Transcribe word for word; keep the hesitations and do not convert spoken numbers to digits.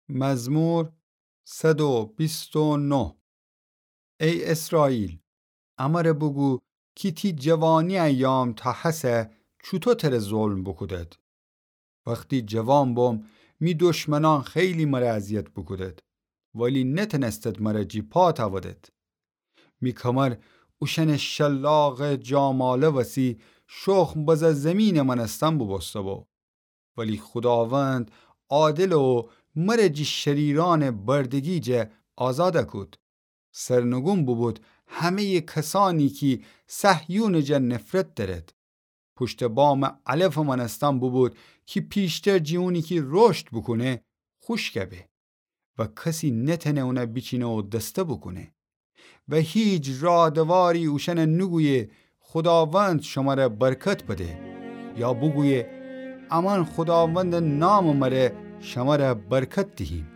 مزمور صد و بیست و نه. ای اسرائیل، امره بوگو کی تی جوانی ایام تا هسه چوطو تره ظلم بوکودد. وختی جوان بوم، می دشمنان خیلی مره اذیت بوکودد، ولی نتنستد مره جی پا تاودد. می کمر اوشأنٚ شلاقٚ جاماله وسی شخم بزه زیمینٚ مأنستن بوبوسته‌بو. ولی خوداوند عادله و مره جی شریرأنٚ بردگی جا آزاد کود. سرنگون بوبود همه‌یٚ کسأنی کی صهیونٚ جا نفرت دأرد. پوشتٚ بامٚ علفٚ مأنستن بوبود کی پیشتر جی اونی کی رشد بوکونه خوشک به و کسی نتأنه اونه بیچینه و دسته بوکونه و هیچ رادواری اوشأنه نوگویه خوداوند شمره برکت بده، یا بوگویه امأن خوداوندٚ نامٚ مره شمره برکت دیهیم.